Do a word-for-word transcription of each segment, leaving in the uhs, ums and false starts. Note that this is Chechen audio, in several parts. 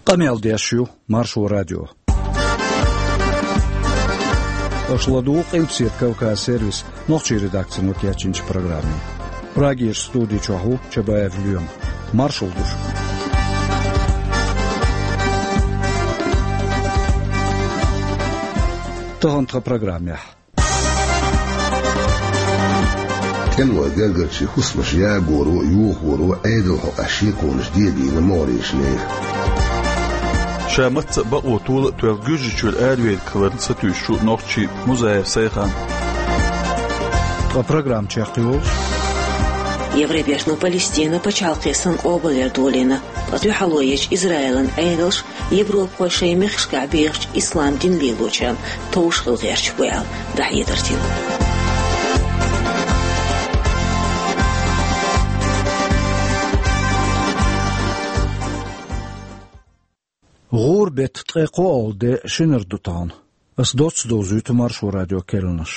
Къамел деш ю Маршо радио. Аша ладугӀу Къилбаседа Кавказ сервисан нохчийн редакцино кечйинчу программе. Прагерчу студи чохь ву Чабаев Лоьма. Маршалла ду шуьга. Тахана тхан программехь. ТӀемалойн гергарчийн хӀусамаш ягоро а, йохоро а Ӏедалан хьокъехь шеконаш дегийна могӀарерчу нехан. Ша мацца а бакъо тола а тоьлла Гуьржийчуьра аравелларг хиларна сатуьйсуш ву нохчи Музаев Сайхан. Ткъа программа чекхйолуш: Евробертано Палестина пачхьалкхе санна къобалъяр долийна, ткъа дуьхьало ечу Израилан Ӏедалша европахой шайн мехкашкахь бехачу ислам дин лелочарна товш хила гӀерташ бу аьлла, дӀахьедар дина. ГӀуран беттан ткъе кхоалгӀа де шинара ду тахана. Ас доцца довзуьйту Маршо радион керланаш.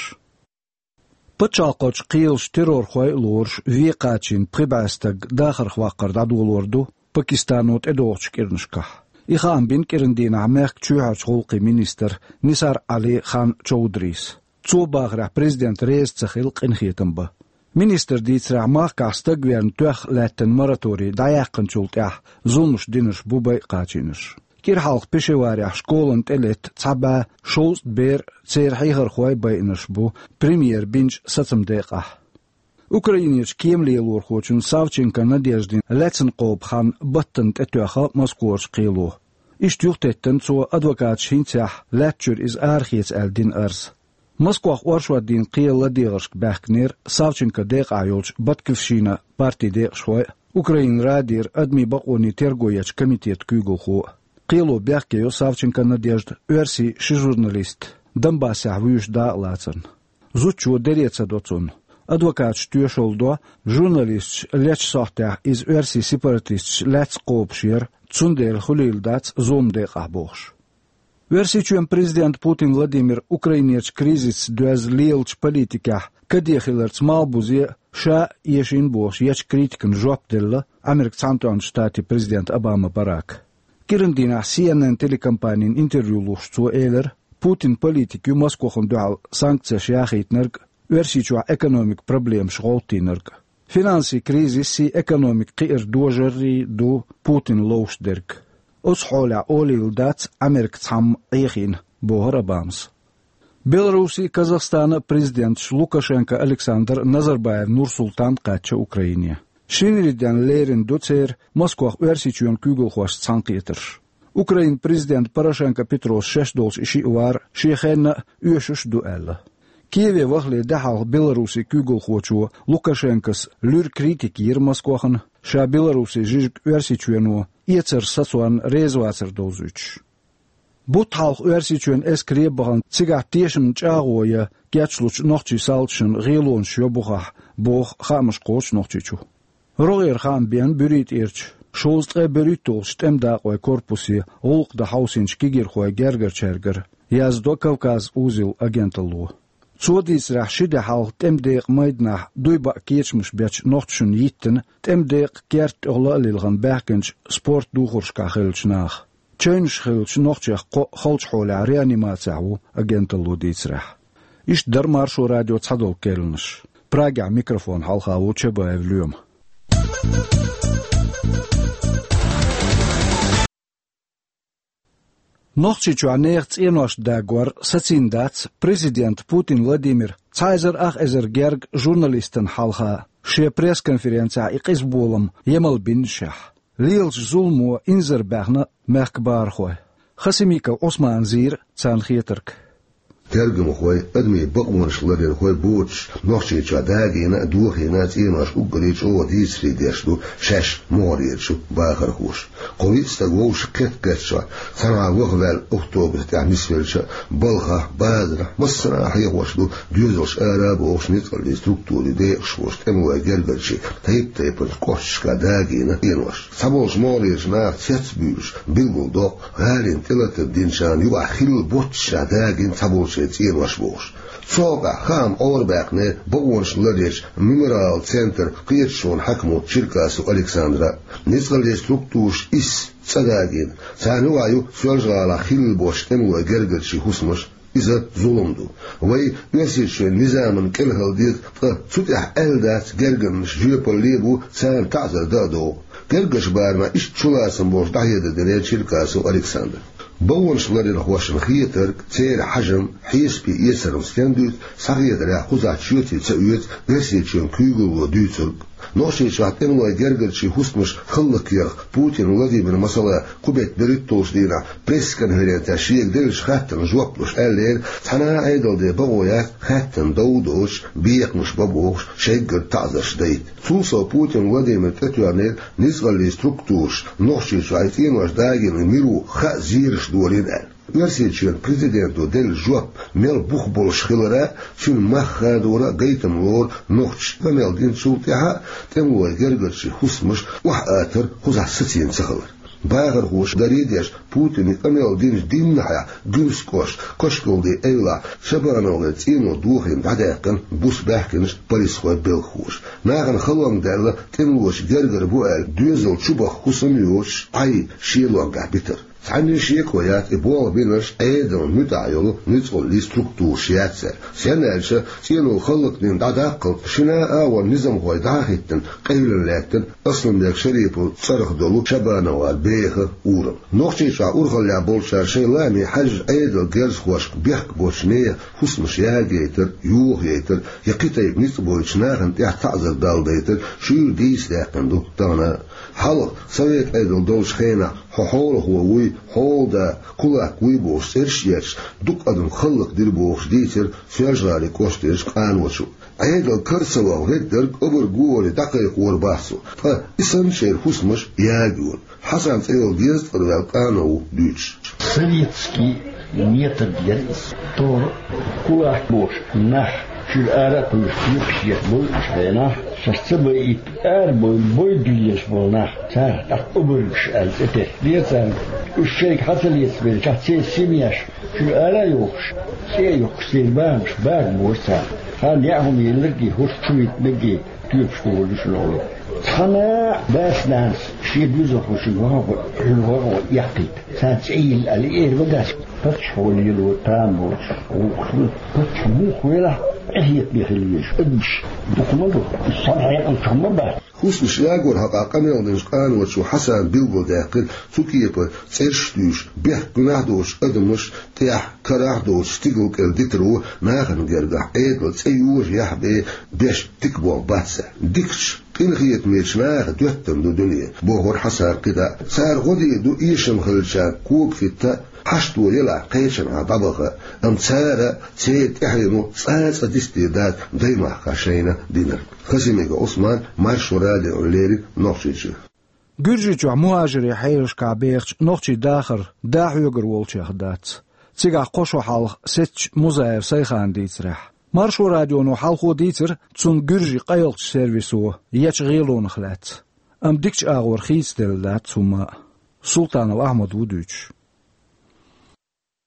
Пачхьалкхерчу кхелаша террорхой а лоруш, вен кхачийна пхи бӀе стаг дахарх ваккхар дӀадолор ду Пакистано тӀедогӀучу кӀиранашкахь. И хаам бина кӀиран дийнахь мехкан чоьхьарчу гӀуллакхийн министра Нисар Ӏали Хан Чаудриса. Цо бахарехь, президент реза ца хила къинхетам бан. Министра дийцарехь, махкахь стаг верна тоьхна лаьттина мораторий дӀаяьккхинчул тӀаьхьа зуламаш динарш бу байа кхачийнарш. КӀира хьалха Пешаварехь школана тӀелетта цхьа бӀе шовзткъа бер а, церан хьехархой а байинарш бу премьера бинчу сацаман декъехь. Украинерчу кеман лелорхочун Савченко Надеждин лаьцна кхобу хан баттана тӀетоьхна Москварчу кхело. Иштта юхатеттина цо адвокаташа хӀинцехь лаьтта чуьра иза арахеца аьлла дина арз. Москвахь оршот дийнахь кхелан ладегӀаршка баьхкинера Савченкон декъахь йолчу Батькивщина партин декъашхой а, Украинан Радера адамийн бакъонийн терго ечу комитетан куьйгалхо а. Кхело бехке йо Савченко Надежда оьрсийн ши журналист Донбассехь вуьйш дакъалацарна. Зудчо даре ца до цунна. Адвокаташа тоьшалла до, журналисташ лечу сохьтехь иза оьрсийн сепаратисташ лаьцна кхобуш яра, цундела хуьлийла дац зуламан декъахь бохуш. Оьрсийчоьнан президента Путин Владимира Украинерчу кризисца доьзна лелачу политикехь каде хиларца малхбузе а, ша а эшийна бохуш ечу критикана жоп делла Американ Цхьаьнатоьхначу Штатийн президента Обама Барака. КӀиран дийнахь Си Эн Эн телекомпанина интервью луш цо элира, Путинан политика ю Москвахна дуьхьал санкцеш яхийтинарг а, Оьрсийчохь экономикан проблемаш гӀовттийнарг а. Финансийн кризисий, экономика кхиаран дожарий ду Путина ловш дерг. Оцу хьолехь олийла дац Америка цхьамма Ӏехийна, бохура Обамас. Беларусин а, Казахстанан а президенташ Лукашенко Александр а, Назарбаев Нурсултан а кхаьчна Украине. Шинарин денна лерина ду церан Москвахь Оьрсийчоьнан куьйгалхошца цхьаьнакхетарш. Украинан президента Порошенко Петрос шаьш долчу и шиъ вар шен хенна а оьшуш а ду аьлла. Киеве вахале де хьалха Беларусин куьйгалхочо Лукашенкос луьра критика йира Москвахна, ша Беларусин жижиг Оьрсийчоьно эцаран сацорна реза вацар довзуьйтуш. Бутт хьалха Оьрсийчоьнан эскаре а бахана, цигахь тешамна чӀагӀо ян кечлучу нохчийн салташна гӀелонаш йо бухахь, боху хаамаш кхочу Нохчийчу. РогӀера хаам беана БуьритӀерчу шовзткъе берхӀитталгӀачу тӀеман дакъойн корпусе гӀуллакх дан хьовсийначу кегийрхойн гергарчаьргара, яздо Кавказ.Узел агенталло. Цо дийцарехь, ши де хьалха тӀеман декъан майданахь дуй баа кечамаш бечу нохчашна йиттина тӀеман декъан керта тӀехула а лилхина баьхкинчу спорт духаршкахь хиллачу наха. Чевнаш хиллачу нохчех кхоъ халчу хьолехь реанимацехь ву агенталло дийцарехь. Иштта дара Маршо радион цхьадолу керланаш. Прагехь микрофон хьалха ву Чабаев Лоьма. Нохчийчохь нехан цӀенош дагор сацийна дац президента Путин Владимира цхьа эзар ах эзар герга журналистана хьалха шен пресс-конференцехь и къиза болам емал биннашехь. Лелачу зуламо инзарбаьхна мехкан бахархой. Хасимиков Ӏусмана зийра царна хетарг. Тергамхой, адамийн бакъонаш ларъярхой боцуш, Нохчийчохь дагийна а, дохийна а цӀенош уггаре чӀогӀа дийцаре деш ду шаьш могӀарерчу бахархоша. Кхо-виъ стаг вовшахкхетта-кхеттачохь, цхьанхьа ваха ваьлла автобус тӀехь нисвелча а, балхахь, базарахь, массарахь хьехош ду доьзалш ара а бохуш ницкъаллин структурийн декъашхоша, тӀемалойн гергарчийн тайп-тайпанчу кӀошташкахь дагийна цӀенош. Цхьаболчу могӀарерчу наха цец а буьйлуш, билгалдоккху, гӀалина тӀелатар динчарна юкъахь хилла боццушехь дагийна цхьаболчеран цӀенош бохуш. Цу хьокъехь хаам Ӏорабаьккхина бакъонаш ларъечу мемориалан центран кхеташонан хьаькамо Черкасов Александра. Ницкъаллин структураш исс цӀа дагийна, царна юкъахь ю Соьлжа-ГӀалахь хилла болчу тӀемалойн гергарчийн хӀусамаш. Иза зулам ду. Вай Оьрсийчоьнан низамна кӀелхьардехь, ткъа цу тӀехь аьлла дац, гергарнаш жоьпалле а бу, царна таӀзар дан а догӀу. Гергарчу барамехь иштта чулацам болуш дӀахьедар дина Черкасов Александра. Бакъонаш ларъярхошна хетарг, церан хьежам, хьесапе эцаран стен дуьйцу, схьахетарехь, кхузахь чоьте ца оьцу Оьрсийчоьнан куьйгалло дуьйцург. Нохчийчохь тӀемалойн гергарчийн хӀусамаш хӀаллакъярх Путин Владимира, масала, кху беттан берхӀитталгӀачу дийнахь пресс-конференцехь шега деллачу хаттарна жоп луш аьллера, цхьана а Ӏедалан де бакъо яц хаьттина дов а доцуш, бекхамаш бан бохуш, шайггара таӀзарш дайта. Цул сов Путин Владимира тӀетоьхнера ницкъаллин структураш Нохчийчохь и цӀенош дагийна мила ву хаа зераш долийна аьлла. Оьрсийчоьнан президенто делла жоп мел бух болуш хилар а, цуьнан мах хадор а гайтам лору нохчаша къамел динчул тӀаьхьа а тӀемалойн гергарчийн хӀусамаш охьааттар кхузахь сацийна ца хилар. Бахархоша даре а деш, Путина къамел динчу дийнахьехь Гуьрсийн кӀоштан Кошкалдийн эвлахь ШабановгӀеран цӀено дохийна дӀадаьккхина буса баьхкинчу полисхойн белхахоша. Нахана халонга даьлла тӀемалочун гергара бу аьлла доьзал чубаха хӀусам а йоцуш, Ӏай шен лонгахь битар. Цхьанна а шеко яц, и болх бинарш Ӏедална муьтӀахь йолу ницкъаллин структураш яц аьлла. Стенна аьлча, цӀено хӀаллакдина дӀадаккхалц шина а агӀор низамхой дӀа а хӀиттина, къевлина лаьттина Асланбек Шариповн цӀарах долу ШабановгӀеран беха урам. Нохчийчохь урхаллехь болчара шайн лааме хьаьжжина Ӏедалан герзахошка бехк боцчу нехан хӀусамаш ягаяйтар, йохаяйтар я кхин тайпа ницкъ бойтучу нахана тӀехь таӀзар даладайтар шуьйра дийца даьккхина ду тахана а. Хьалха, совет Ӏедал долчу хенахь, хьо хьолахо вуй, хьолада, кулак вуй бохуш цӀераш а етташ, дукха адам хӀаллакдира бохуш дийцира Соьлжа-ГӀалин кӀоштарчу къаночо. Ӏедал кара ца ваха верг дерг обарг ву олий дӀакхайкхор бац цо, ткъа и санначеран хӀусамаш ягайора. Хьасан цӀе йолу геза тӀера ваьлла къано ву дуьйцуш. Советский метод яра иза. Тора кулак бохуш нах чуьра ара а кхуьйсуш, юкъаш еш болу уьш хенахь, шаьш ца байийта, ара бой, бой дуьллуш болу нах, царах тӀаккха обаргаш аьлла цӀе теттера царна. Уьш шайга хьан ца лецабелчахь, церан семьяш чуьра ара а йохуш, цӀе а йоккхуш, церан бахамаш бага бора царна. Хан яа хӀума елларг а, хӀорш чу витинарг а тоьпаш ду вай шуна олу. Цхьана а дас-нанас шен доьзалхочуьнга вахана гӀо, хӀуьнан гӀо а гӀо эккхийта. Царна цӀе йилла аьлла, и эр ма дац. Паччахьо лело там боцуш гӀуллакхаш ду. Паччахь муха велахь а, къинхетаме хила везаш адамаш дукха ма ду. Иза цхьана хьекъалчохь ма бац. ХӀусамаш ягорна хьокъехь къамел динчу къаночо Хьасана билгалдаьккхира, цу кепара цӀераш а туьйсуш, бехк-гуьнахь доцучу адамаш тӀехь, карахь доцучу стигал кӀел дитар ву нахана гергахь Ӏедалан цӀе йожаяхь бен беш дика болх бац аьлла. Дикачу, къинхетамечу наха доьттина ду дуьне, бохура Хьасана кхидӀа а. Цара гӀо дийр ду эшам хиллачарна кога хӀитта а, хьашто елахь кхечанхьа дӀабаха а, амма цара а, церан тӀаьхьено а цкъа а дицдийр дац даймахкахь шайна динарг. Хасимиков Ӏусман, Маршо радиона леррина Нохчийчуьра. Гуьржийчохь мухӀажирийн хьелашкахь бехачу нохчийн дахар да хьоьгур волчех дац. Цигахь кхо шо хьалха сецначу Музаев Сайхана дийцарехь. Маршо радионо хьалхо дийцира цунна гуьржийн къайлахчу сервисо ечу гӀелонах лаьцна. Амма дикачу агӀор хийцаделла дац хӀумма а. Султанов Ахьмад ву дуьйцуш.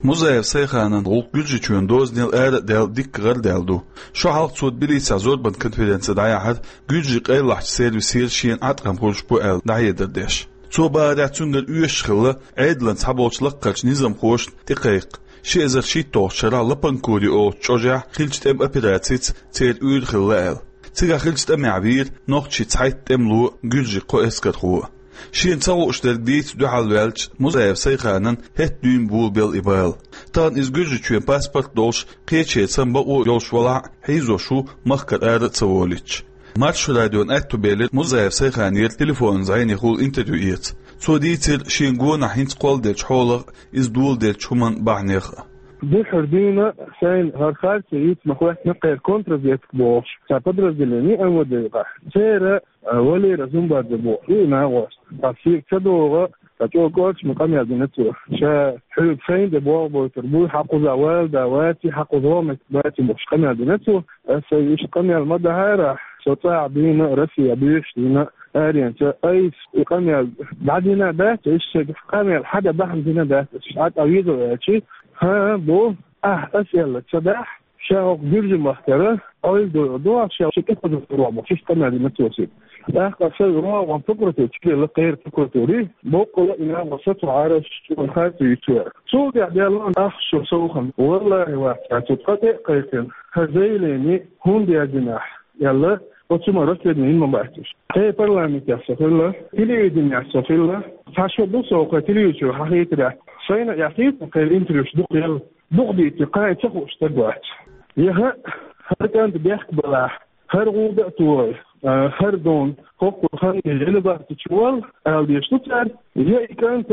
Музаев Сайханан гӀуллакх Гуьржийчоьнан дозанел ара а даьлла дикка гӀарадаьлла ду. Шо хьалха цо Тбилисехь зорбанан конференци дӀаяьхьира гуьржийн къайлахчу сервисера шена Ӏаткъам хуьлуш бу аьлла дӀахьедар деш. Цо бахарехь, цуьнгара оьшуш хилла Ӏедалан цхьаболчу лаккхарчу низамхошна тӀекхайкха. Ши эзар шийтталгӀачу шарахь Лопанкури олучу чӀожехь хиллачу тӀеман операцица церан уьйр хилла аьлла. Цигахь хиллачу тӀамехь вийра нохчийн цхьайтта тӀемало а, гуьржийн кхо эскархо а. Шена ца хууш дерг дийца дуьхьал ваьллачу Музаев Сайханан хӀетта дуьйна болабелла и бала. Тахана иза Гуьржийчоьнан паспорт долуш, кхечеран цхьа бакъо а йолуш валахь а, хьийзош ву махкара ара а ца волуьйтуш. Маршо радиона аьтто белира Музаев Сайханера телефонан зӀенехула интервью эца. Цо дийцира шена гонах хӀинца кхолладеллачу хьолах а, иза доладеллачу хӀуманан бахьанех а. Дуьххьара дуьйна шайна хӀара харцо йийца ма хӀоьттина, кхеран контрразведка бохуш цхьа подразделение МВД юкъахь. Церан А, Валера Зумбадзе бохуш ву и нахост. Ткъа шега ца догӀу, ткъа чӀогӀа кӀоршаме къамел дина цо. Ша хьоьга шайна тӀе болх бойтур буй, хьан кхузахь вала да ваций, хьан кхуза гӀо меттиг баций бохуш къамел дина цо. Аса иштта къамел ма дахьара, со цӀахь дуьйна, Россехь буьйсанна дуьйна, аренца айса и къамел дӀадина дац, иштта шайга къамел хьадан бахьана дина дац, ша тӀе веза аьлча, хӀан, бу, ахь аса аьлла ца дахь, Ша хӀокху Гуьржийн махкара Ӏойла дойур ду, ша ши тӀекхозур ду бохуш, иштта къамел дина цо шиъ. ТӀаккха сан рогӀан прокуратура чу лелла кхеран прокуратуре, боккъала а и нагӀо сацо Ӏараш чӀогӀа харцо ю цо. Цул тӀаьхьа даьлла ахча совгӀат. Валлахьи, вац, цо ткъа тӀе а кхайкхина, хӀара заявлени хӀунда яздина ахь аьлла, оцу ма расследование йина ма бац уьш. Кхин парламентехь со хилла, телевиденехь со хилла. Цхьа шо ду со кхин телевизоре хьахийтира. Сайна а яхийта, кхин интервьюш дукха елла. Дукха дийцира, кхин ца хууш стаг вац. Я хӀа-, хӀара кӀант бехк балахь, хӀара гӀуда а тохий, а, хӀара дон хӀокху хан гӀилбахтича вал, ала дезаш ду цара, я и кӀант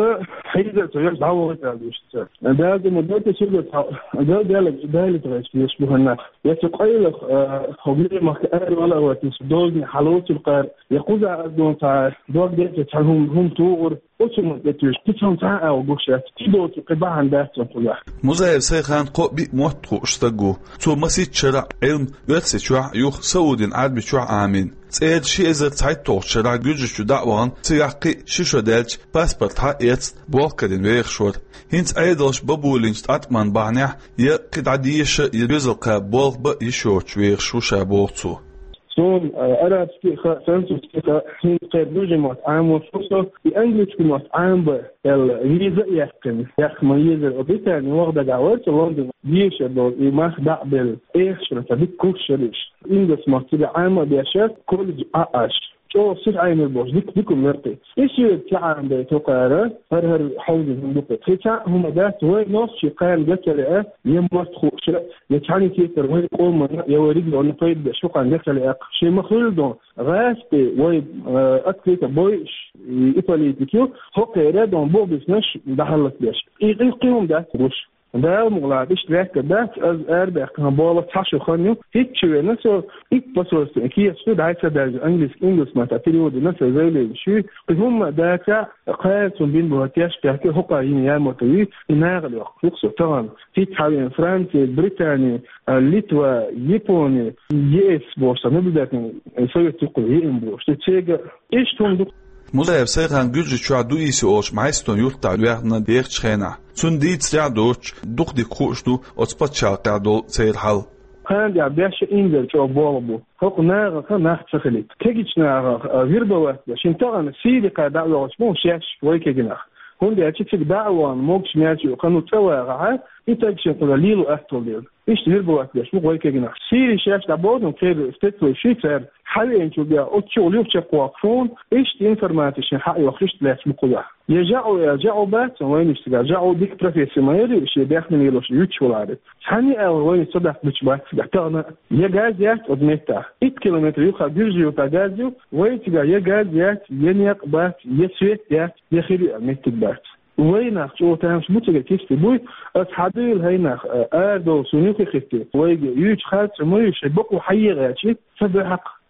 хьийзар ца еш дӀавахийта ала дезаш ду цара. Дала ма дойта, шуьга цхьа Дала, Дала, Дала тхайс дезаш бу хӀанна. Я цу къайлаха, а, хӀокху Гуьржийн махка ара вала а ватийса, дозане хьалоцур кхара, я кхузахь ас дон цхьа дог дерг цхьа хӀума, хӀума тухур, оцу ма тӀе туьйсу, кхин цхьа а агӀо гуш яц, кхин доцу кхин бахьана дац цунна кхузахь. Музаев Сайхан кхо-биъ мотт хууш стаг ву. Цо масийтта шарахь Ӏилма Оьрсийчохь а, юха Саудин Ӏаьрбийчохь а Ӏамийна. ЦӀера ши эзар цхьайтталгӀачу шарахь Гуьржийчу дӀа а вахана, цигахь кхин ши шо даьлча, паспорт хьаэцна, болх карийна вехаш вара. ХӀинца Ӏедалша Бабулинчу тӀаткъаман бахьанехь я кхин дӀа деша, я доьзал кхаба болх бан йиш йоцуш вехаш ву ша, боху цо. Суна, а, арабский а хаьа, французский а хаьа, хӀинца кхеран Гуьржийн мотт Ӏамош ву со, и английский мотт Ӏамабан аьлла, виза а яьккхина. Яьккха ма-еззара, Британи ваха дагахь вара со Лондоне, дешар долу и мах дӀа а белла, эхашра ца дика курсаш яра уьш. Ингас мотт цигахь Ӏама а беш, колледж Ӏа а Ӏаш. ЧӀогӀа сиха Ӏамийра бохуш, дика, дика хӀума яра кхин. И соьга ца Ӏамабайта хӀокхара, хӀара-хӀара хьовзийна хӀума ду кхин. Кхин цхьа а хӀума дац, вай нохчийн кхана ган ца лаьа, я мотт хууш а, я цхьаьна кепара вайн къоманна, я вайн регионна пайда беш хӀокхарна ган ца лаьа. Шен ма-хуьллу дон, гӀазкхи вай, э, открыто бойуш, и, и политика ю, хӀокхеран дон бух биснарш дӀахьаллакбеш. И, и кхин хӀума дац гуш. Дала мукъ лахь, иштта лаьттар дац, ас арабаьккхина болу цхьа шо хан ю, хӀинца веана со итт посольстве кехат ду, дӀа ца даьлча, английский, ингас маттахь перевод дина, сан заявлени ю, кхин хӀумма а дацахь, кхара цунна бина боху теш кхаьчна, хӀокхо йина ямота ю, и нахала йоккхуш ву-кх со тахана. ХӀинца хьавеана Франция, Британия, а, Литва, Япония, ЕС бохуш, сан наблюдательный совет юккъе еана бохуш. Ду цега иштта хӀума ду. Музаев Сайхан Гуьржийчохь Дуиси олучу Мьайстон юьртахь ваьхна дехачу хенахь, цунна дийцарехь а доцуш, дукха дика хууш ду оцу пачхьалкхехь долу церан хьал. Кхана тӀехь беш а инзаре чӀогӀа болх бу. ХӀокху нахах нах ца хилийта. Кегийчу нахах, а, вербовать беш. Шен тахана Сири кхара дӀа а воьлхуш бу шаьш вай кегий нах. ХӀунда аьлча цига дӀа а вахана, могуш-маьрша ю, кхана цӀа вагӀахь, и таг шен кхузахь лело атталла дела. Иштта вербовать беш бу вай кегий нах. Сири шаьш дӀабоьду, кхеран спецвойш шуьйцара хьавеанчул бен оццул юха чекхвоккхуш ву, иштта информаци шен хьа а йоккхуш, иштта лаьтташ бу кхузахь. Я жаӀу, я жаӀу бац, вайнаш цигахь жаӀу дика профессия ма яра, шен бехне лелош юьтуш валаре. Цхьанна а аьлла вайнаш цадаккха гучу бац цигахь тахана. Я газ яц оцу меттехь. Итт километр юха Гуьржийн юьртахь газ ю, вай цигахь я газ яц, я некъ бац, я свет яц, я хир ю аьлла меттиг бац. Вай нах чӀогӀа тамаш бу цига кисти буй, ас хьадуьйла хӀай нах, а, арадовла суна юххе хӀитте. Вайга юьйцу харц ма ю, шайн бакъо хьаегӀаьчи, ца баьхьакх.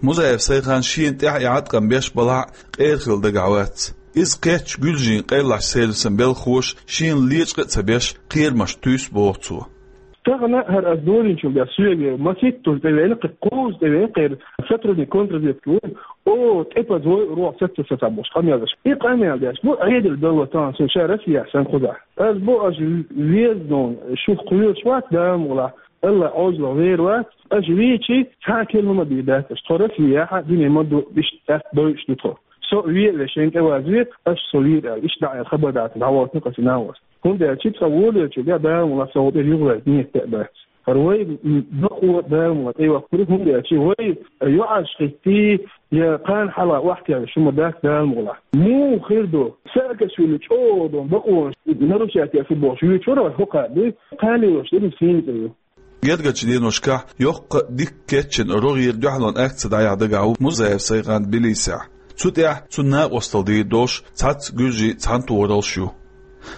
Музаев Сайхан шена тӀехь и Ӏаткъам беш балахь а, къера хила дагахь вац. Иза кхетча, гуьлжийн къайлахчу сервисан белхахоша шена лечкъа а ца беш, кхерамаш туьйсу боху цо. Тахана хӀара ас дозийначул тӀаьхьа соьга маситтаза тӀевеана, кхин кхузза тӀевеана, кхеран сотрудник контрразведки ву, о, тӀепаза вой, рогӀу саца сацахь бохуш къамел деш. И къамел деш бу, Ӏедал далла тахана суна ша Россехь санна кхузахь. Ас бу, аша веза дон, шух кхоьруш вац, Дала мукъ лахь, Алла Ӏожаллех вер вац, аша вийчи, цхьа а керла хӀума дийр дац аша. Тхо Россехь а, дуьне ма ду, иштта атта дойуш ду тхо. Со а ве а ве, шайна тӀеваза ве, аша со вийра аьлла, иштта дӀа а аьлла, хабар дацахь, дӀавахийтина кхо цхьа нах вац. ХӀунда аьлча тхо волавелчул тӀаьхьа Дала мукъ лахь со хӀокху тӀера юхаваьлла нийят а бац. ХӀара вай, м, бакъо Дала мукъ лахь тӀейоккхур ю, хӀунда аьлча вай йоӀарш хӀиттий, я кхана хьалха охьатаьӀна шу ма дац Дала мукъ лахь. Муха хир ду? Саакашвили чӀогӀа долу бакъонаш нарушать еш ву бохуш вуьйцуш вара вай хӀокху а дуй, кхана лелош дерриг сийна цӀе ю. Гергарчу деношкахь йоккха а дика кечйина рогӀера дуьхьалонан акци дӀаяхьа дагахь ву Музаев Сайхан Тбилисехь. Цу тӀехь цунна накъосталла дийр долуш цхьацца гуьржийн цхьаьнатохараллаш ю.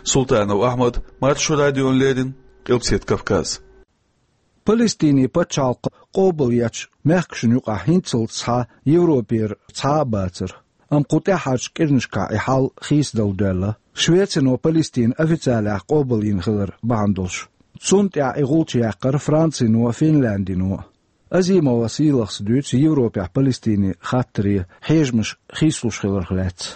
Султанов Ахьмад, Маршо радиона леррина, Къилбаседа Кавказ. Палестинан пачхьалкх къобалъечу мехкашна юкъахь хӀинццалц схьа Европера цхьа а бацара. Амма кху тӀаьххьарчу кӀирнашкахь и хьал хийцадала доьлла. Швецино Палестина официалехь къобалйина хилар бахьана долуш. Цунна тӀехь и гӀулч яьккхира Францино, Финляндино. Азимова Сийлахьас дуьйцу Европехь Палестинан хаттаре хьежамаш хийцалуш хиларх лаьцна.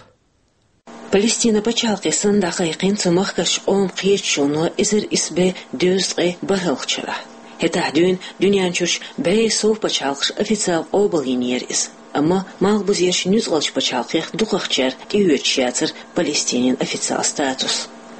Палестинан пачхьалкхе санна дӀакхайкхина цу махкарчу къоман кхеташоно эзар исс бӀе дезткъе бархӀалгӀачу шарахь. ХӀетахь дуьйна дуьнен чуьрчу бӀе сов пачхьалкхаша официал къобалйинера иза. Амма малхбузерчу нуьцкъалчу пачхьалкхех дукхахчара тӀеоьцуш яцара Палестинан официал статус.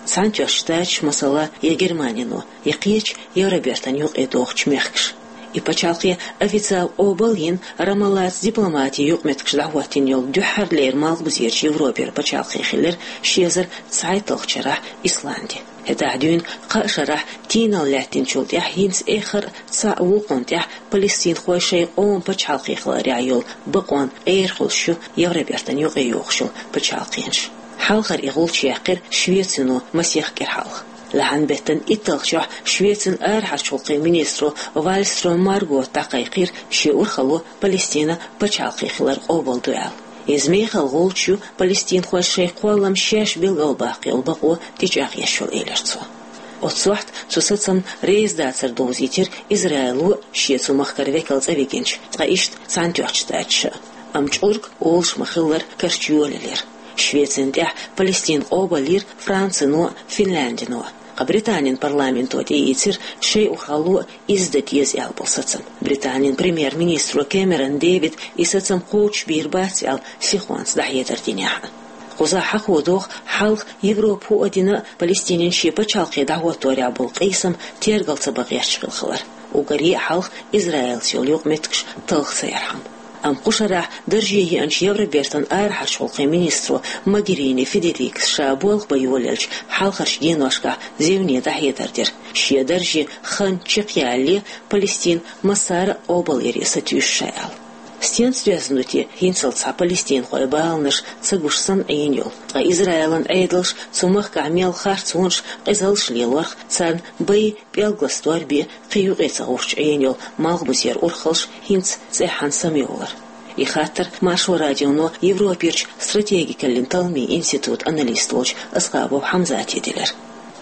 Цхьаьнатоьхначу Штаташа, масала, я Германино, я кхечу Евробертан юкъе догӀучу мехкаша. И пачхьалкхе официал къобал а йина, Рамаллаца дипломатин юкъаметтигаш дӀахӀоттийна йолу дуьххьарлера малхбузерчу Европера пачхьалкх хилира ши эзар цхьайтталгӀачу шарахь Исланди. ХӀетахь дуьйна кхаа шарахь тийналла лаьттинчул тӀаьхьа хӀинца эххар а цхьаъ вукхунна тӀехь палестинхой шайн къоман пачхьалкх хиларехь йолу бакъонан къера хуьлуш ю Евробертан юкъе йогӀуш йолу пачхьалкхаш. Хьалхара и гӀулч яьккхира Швецино масех кӀира хьалха. Лахьан беттан итталгӀачохь Швецин арахьарчу гӀуллакхийн министро Вальстрём Маргота дӀакхайкхийра шен урхалло Палестина пачхьалкх хилар къобалдо аьлла. Иза мехала гӀулч ю палестинхойн шайн кхоллам шаьш билгалбаккха йолу бакъо тӀечӀагӀъеш йолу, элира цо. Оццу сохьта цу сацамна реза дацар довзийтира Израило а, шен цу махкара векал цӀа вигинчу, ткъа иштта Цхьаьнатоьхначу Штаташа а. Амма чкъург олуш ма-хиллара карча йолаелира. Швецина тӀехь Палестина къобалйира Францино а, Финляндино а. Ткъа Британин парламенто тӀеийцира шайн урхалло а иза дан деза аьлла болу сацам. Британин премьер-министро Кэмерон Дэвида и сацам кхочушбийр бац аьлла сихонца дӀахьедар динехь а. Кхузахь хьахо догӀу хьалха Европа хӀуъа дина а Палестинан шен пачхьалкх дӀахӀотторехь болу къийсам тергал ца бан гӀерташ хилла хилар. Уггаре а хьалха Израилца йолу юкъаметтигаш талха ца ярхьама. Амма кху шарахь дарже еанчу Евробертан арахьарчу гӀуллакхийн министро Могерини Федерикас ша болх бан йолаелчу хьалхарчу деношкахь зевне дӀахьедар дира, шен дарже хан чекхъялале Палестина массара а къобалъяре сатуьйсу ша аьлла. Стенца доьзна ду те хӀинцалц цхьа палестинхойн баланаш ца гуш санна Ӏийна йолу, ткъа Израилан Ӏедалша цу махкахь мел харцонаш, къизаллаш лелорх, царна бай, пӀелгалан стор бен кхин юкъе ца гӀуттуш Ӏийна йолу малхбузера урхаллаш хӀинца цӀеххьана самайовлар? И хаттар Маршо радионо Европерчу стратегикаллин талламийн институтан аналист волчу Асхабов Хьамзате делира.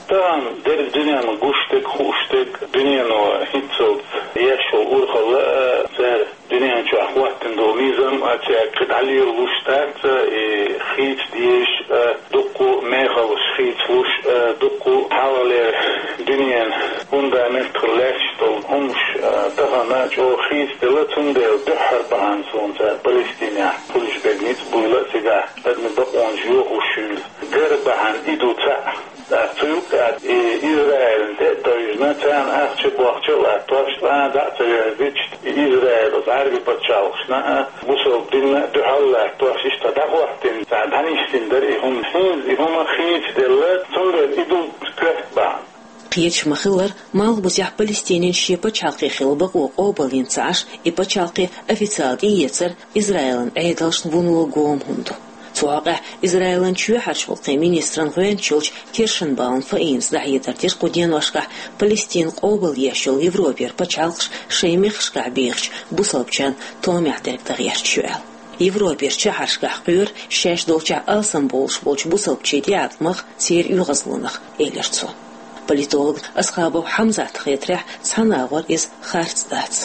Тахана дерриг дуьненна гуш дерг, хууш дерг, дуьнено хӀинццалц еш йолу урхалла а, цара дуьнен чохь хӀоттийна долу низам а, цаьрга кхин дӀалелалуш дац, и хийца дезаш а, дуккха мехаллаш хийцалуш а, дуккха хьалхалера дуьненан фундамент хила лаьтташ долу хӀумнаш а, тахана чӀогӀа хийцаделла, цундела дуьххьара бахьана суна цара Палестинехь хуьлуш берг ницкъ буйла а, цигахь адамийн бакъонаш йохош йолу гар бахьана и ду цхьаъ. ТӀаккха цу юккъехь и Израилна тӀе а тевжина, царна ахча а, бохча а латтош, цкъа а дӀа а ца верзича, и Израил оцу Ӏаьрбийн пачхьалкхашна а, бусалба динна а дуьхьал латтош, иштта дӀахӀоттийна, цхьа дӀанисдина дара и хӀума. ХӀинца и хӀума хийцаделла, цундела и ду коьрта бахьана. Кхеташ ма-хиллара, малхбузехь Палестинан шен пачхьалкх хила бакъо къобалйина ца Ӏаш, и пачхьалкх официал тӀеэцар Израилан Ӏедалшна вуно гома хӀума ду. Цу хьокъехь Израилан чоьхьарчу гӀуллакхийн министран гӀоьнча йолчу Киршенбаум Фаинас дӀахьедар дира кху деношкахь Палестина къобалъеш йолу Европера пачхьалкхаш шайн мехкашкахь бехачу бусалбачарна томехь дерг дан гӀерташ ю аьлла. Европера чоьхьарчу шахьаршкахь кхоьру шаьш долчохь алсамбовлуш болчу бусалбачийн тӀеӀаткъамах, церан оьгӀазлонах, элира цо. Политолог Асхабов Хьамзатна хетарехь, цхьана агӀор иза харц дац.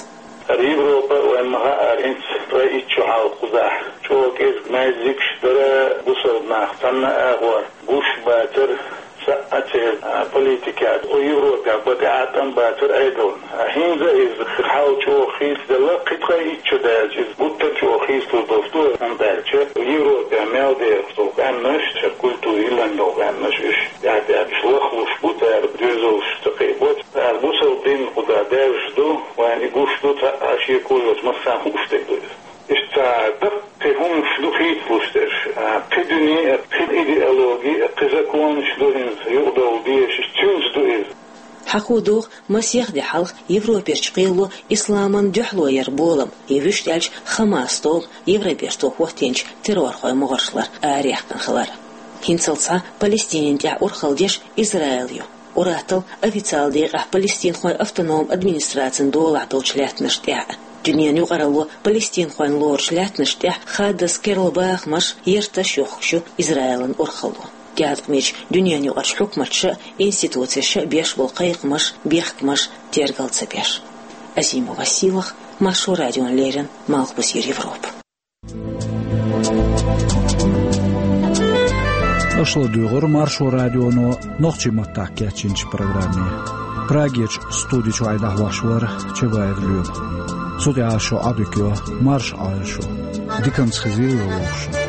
ХӀара Европа, вайна ма-хаъара, хӀинца ткъе итт шо хьалха кхузахь чӀогӀа кӀезиг маьждигаш дара, бусалба нах цхьана агӀор гуш бацара, саъа церан, а, политикехь, кху Европехь бан тӀеӀаткъам бацара Ӏедална. А хӀинца иза хьал чӀогӀа хийцаделла, кхин ткъе итт шо даьлча иза гуттар а чӀогӀа хийцалур долуш ду, хӀунда аьлча Европехь мел дехаш долу къаьмнаш, шайн культура йиллина долу къаьмнаш, уьш тӀаьхьа-тӀаьхьа уьш лахлуш бу, цара доьзалш ца кхиабо, цара бусалба дин кхузахь даьржаш ду, вайна и гуш ду, цхьа а шеко йоцуш массарна хууш дерг ду иза. Иштта даккхий хӀуманаш ду хийцалуш дерш, а, кхин дуьне а, кхин идеологи а, кхин законаш ду хӀинца юкъадовла дезаш, цуьнца ду иза. Хьахо догӀу, масех де хьалха Европерчу кхело исламан дуьхьало яран болам, я вуьшта аьлча Хамас-толам, Евроберто хӀоттийначу террорхойн могӀаршлара араяьккхина хилар. ХӀинцалц цхьа Палестинина тӀехь урхалла деш Израил ю. Ур-атталла официал декъехь палестинхойн автономни администрацин долахь долчу лаьттанаш тӀехь а. Дуьненан юкъаралло палестинхойн лоручу лаьттанаш тӀехь хаддаза керла бахамаш, ярташ йохкуш ю Израилан урхалло. ТӀеӀаткъамечу дуьненан юкъарчу хьукматаша а, институцеша а беш болу кхайкхамаш, бехкамаш тергал ца беш. Азимова Сийлаха, Маршо радиона леррина, Малхбузера Европа. Аша ладуьйгӀура Маршо радионо нохчийн маттахь кечйинчу программе. Прагерчу студи чуьра дӀахьош вара Чабаев Лоьма. Цу тӀехь шу Ӏодика йо, марша Ӏойла шу. Диканца хезийла вовшашна.